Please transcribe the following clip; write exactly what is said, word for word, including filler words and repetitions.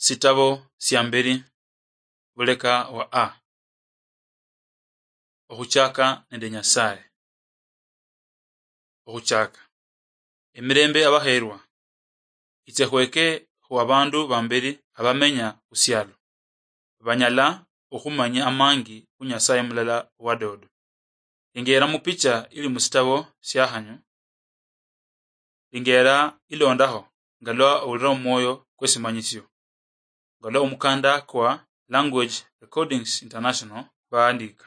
Sitabo sia mberi, buleka wa A. Okhuchaka nende Nyasaye. Okhuchaka. Emirembe, abakheerwa, itse khweke khu abandu bamberi abamenya khusialo, banyala okhumanya amangi khu Nyasaye mulala owadodo. Lingera mupicha ili musitabo siakhanyu. Lingera ilondaho nga lwa owulira omwoyo kwesimanyisio, nga lwa omukanda kwa Language Recordings International baandika.